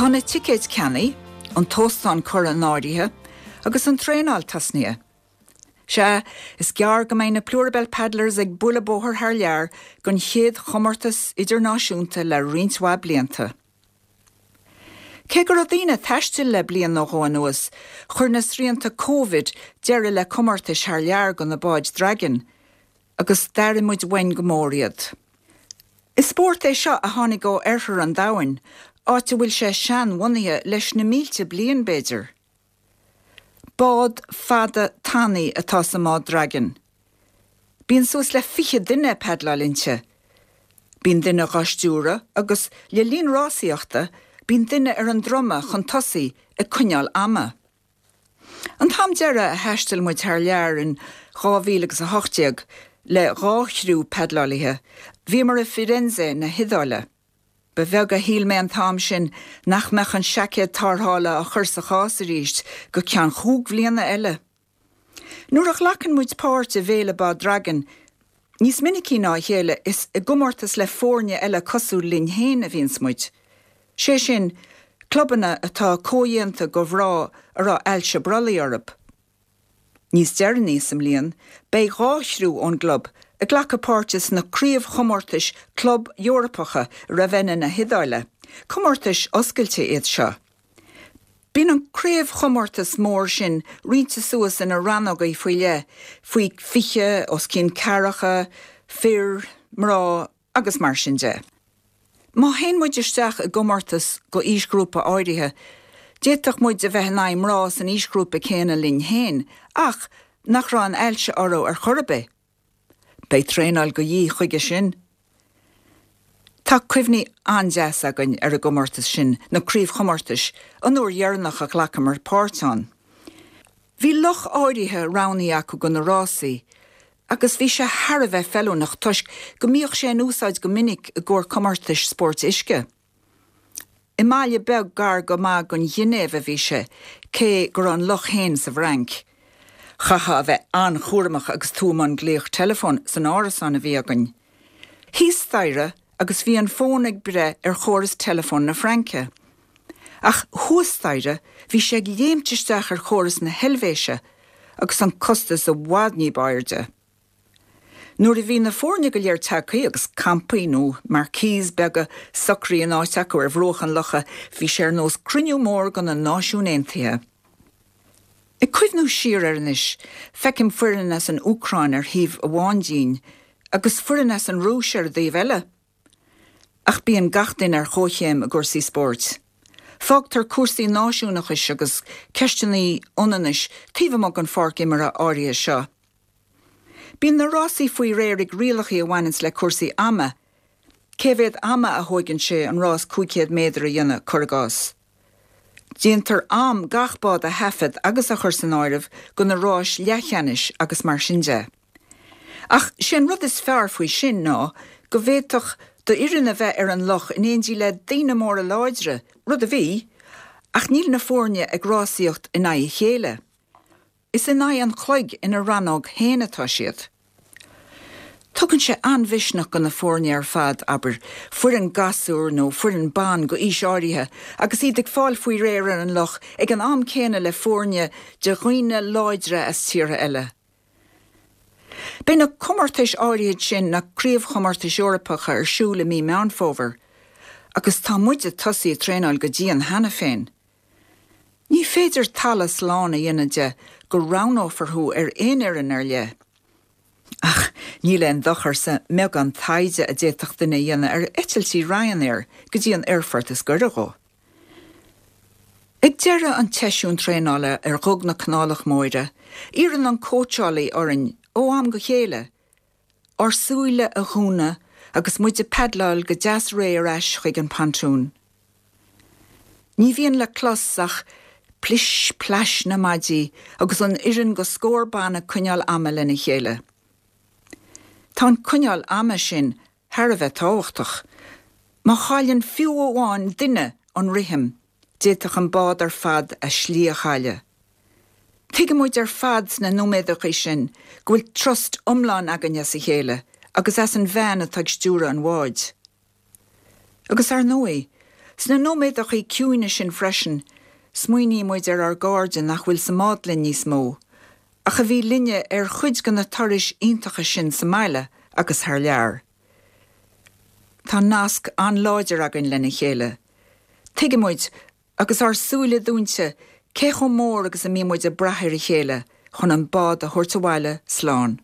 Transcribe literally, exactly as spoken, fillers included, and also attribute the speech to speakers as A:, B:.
A: Tá na ticéid ceannaithe, an t-óstán curtha in áirithe agus an traenáil tosnaithe. Sea, is gearr go mbeidh na Plurabelle Paddlers ag bualadh bóthar thar lear don chéad chomórtas idirnáisiúnta le roinnt mhaith blianta. Cé go raibh daoine ag taisteal le bliain nó dhó anuas, chuir na srianta Covid deireadh le comórtais thar lear do na báid draighin, agus d'airigh muid uainn go mór iad. Is spórt é seo a tháinig ó oirthear an domhain, áit a bhfuil sé seanbhunaithe leis na mílte bliain b'fhéidir. Bád fada tanaí atá sa mbád draighin. Bíonn suas le fiche duine ag padláil inti. Bíonn duine dhá stiúradh agus le linn rásaíochta bíonn duine ar an druma chun tosaigh ag coinneáil ama. An t-am deireadh a thaistil muid thar lear in dhá mhíle agus a hocht déag le dhá chriú padlálaithe, bhíomar i Firenze na hIodáile. Ba bheag a shíl mé an t-am sin nach mbeadh an seaicéad tarrthála á chur sa chás arís go ceann chúig bhliana eile. Nuair a ghlacann muid páirt i bhféile bád draighin, níos minicí ná a chéile is i gcomórtas le foirne eile cosúil linn féin a bhíonns muid. Sé sin, clubanna atá comhdhéanta de mhná a raibh ailse brollaigh orthu. Níos deireanaí sa mbliain, beidh dhá chriú ón gclub ag glacadh páirte sna craobhchomórtais club Eorpacha i Ravenna na hIodáile. Comórtais oscailte iad seo. Bíonn an craobhchomórtas mór sin roinnte suas ina rannógaí faoi leith, faoi fiche, os cionn ceathracha, fir, mná agus mar sin de. Má théann muid isteach i gcomórtas do aoisghrúpa áirithe, d'fhéadfadh muid a bheith in aghaidh mná san aoisghrúpa céanna linn féin ach nach raibh an ailse orthu ar chor ar bith. Beidh traenáil de dhíth chuige sin. Tá cuimhní an-deas againn ar an gcomórtas sin, na craobhchomórtais, an uair dheireanach a ghlacamar páirt ann. Bhí loch áirithe roghnaithe acu do na rásaí agus bhí sé thar a bheith feiliúnach toisc go mbíodh sé in úsáid go minic i gcomhair comórtais spóirt uisce. I mbaile beag gar go maith don Ghinéiv a bhí sé, cé go raibh an loch féin sa bhFrainc. Chaithfeá a bheith an-chúramach agus tú i mbun glaoch teileafóin san árasán a bhí againn. Thíos staighre agus bhí an fón ag breith ar chóras teileafóin na Fraince. Ach thuas staighre bhí sé ag léimt isteach ar chóras na hEilvéise agus an costas i bhfad ní b'airde. Nuair a bhí na foirne go léir tagtha agus campaí nó marquees beaga socraithe in áit acu ar bhruach an locha, bhí sé ar nós cruinniú mór de na Náisiúin Aontaithe. Ag cuimhniú siar air anois, feicim foireann as an Úcráin ar thaobh amháin dínn agus foireann as an Rúis ar an dtaobh eile. Ach bíonn gach duine ar chomhchéim i gcúrsaí spóirt. Fágtar cúrsaí náisiúnachais agus ceisteanna ionannais taobh amuigh den pháirc imeartha áirithe seo. Bíonn na rásaí faoi réir ag rialacha a bhaineanns le cúrsaí ama, cé mhéad ama a thóigeann sé an rás cúig chéad méadar a dhéanamh, cuir i gcás. Déantar am gach bád a thaifead agus a chur san áireamh do na ráis leathcheannais agus mar sin de. Ach sé an rud is fearr faoi sin ná go bhféadfadh d'fhoireann a bheith ar an loch in éindí le daoine móra láidre, rud a bhí, ach níl na foirne ag rásaíocht in aghaidh a chéile. Is in aghaidh an chloig ina rannóg féin atá siad. Tugann sé an-mhisneach do na foirne ar fad, abair, foireann gasúr nó foireann ban d'aois áirithe, agus iad ag fáil faoi réir ar an loch ag an am céanna le foirne de dhaoine láidre as tíortha eile. Beidh na comórtais áirithe sin, na craobhchomórtais Eorpacha, ar siúl i mí Meán Fómhair, agus tá muid ag tosaí ag traenáil go dian cheana féin. Ní féidir talamh slán a dhéanamh de go roghnófar thú ar aon fhoireann ar leith. Ach níl aon dochar sa mbeagán taighde a d'fhéadfadh duine a dhéanamh ar eitiltí Ryanair go dtí an aerfort is gaire dhó. Ag deireadh an tseisiúin traenála ar Dhuga na Canálach Móire, iarrann an cóitseálaí orainn, ó am go chéile, ár súile a dhúnadh agus muid ag padláil go deas réidh ar ais chuig an bpontún. Ní bhíonn le clos ach plis plais na maidí agus an fhoireann de scór ban ag coinneáil ama lena chéile. Tá an coinneáil ama sin thar a bheith tábhachtach. Má chailleann fiú amháin duine an rithim, d'fhéadfadh an bád ar fad a slí a chailleadh. Tuigeann muid ar fad sna nóiméadacha sin go bhfuil trust iomlán againn as a chéile agus as an bhean atá ag stiúradh an bháid. Agus ar ndóigh, Sna nóiméadacha ciúine sin freisin, smaoiníonn muid ar ár gcairde nach bhfuil sa mbád linn níos mó, ach a bhí linne ar chuid de na turais iontacha sin sa mbaile agus thar lear. Tá nasc an-láidir againn lena chéile. Tuigimid agus ár súile dúnta cé chomh mór agus a mbíonn muid ag brath ar a chéile chun an bád a thabhairt abhaile slán.